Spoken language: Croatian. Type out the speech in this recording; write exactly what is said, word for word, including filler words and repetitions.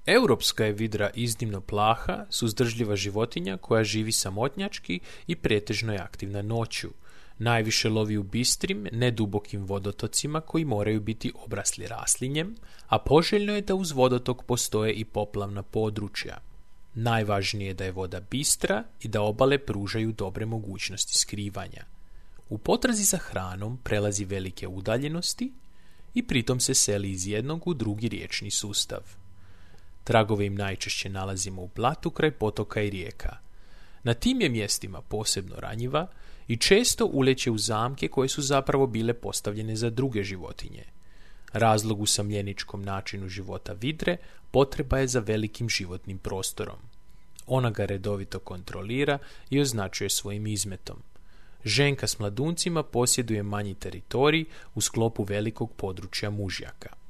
Europska je vidra iznimno plaha, suzdržljiva životinja koja živi samotnjački i pretežno je aktivna noću. Najviše lovi u bistrim, nedubokim vodotocima koji moraju biti obrasli raslinjem, a poželjno je da uz vodotok postoje i poplavna područja. Najvažnije je da je voda bistra i da obale pružaju dobre mogućnosti skrivanja. U potrazi za hranom prelazi velike udaljenosti i pritom se seli iz jednog u drugi riječni sustav. Tragove im najčešće nalazimo u blatu kraj potoka i rijeka. Na tim je mjestima posebno ranjiva i često uleće u zamke koje su zapravo bile postavljene za druge životinje. Razlog u samljeničkom načinu života vidre potreba je za velikim životnim prostorom. Ona ga redovito kontrolira i označuje svojim izmetom. Ženka s mladuncima posjeduje manji teritorij u sklopu velikog područja mužjaka.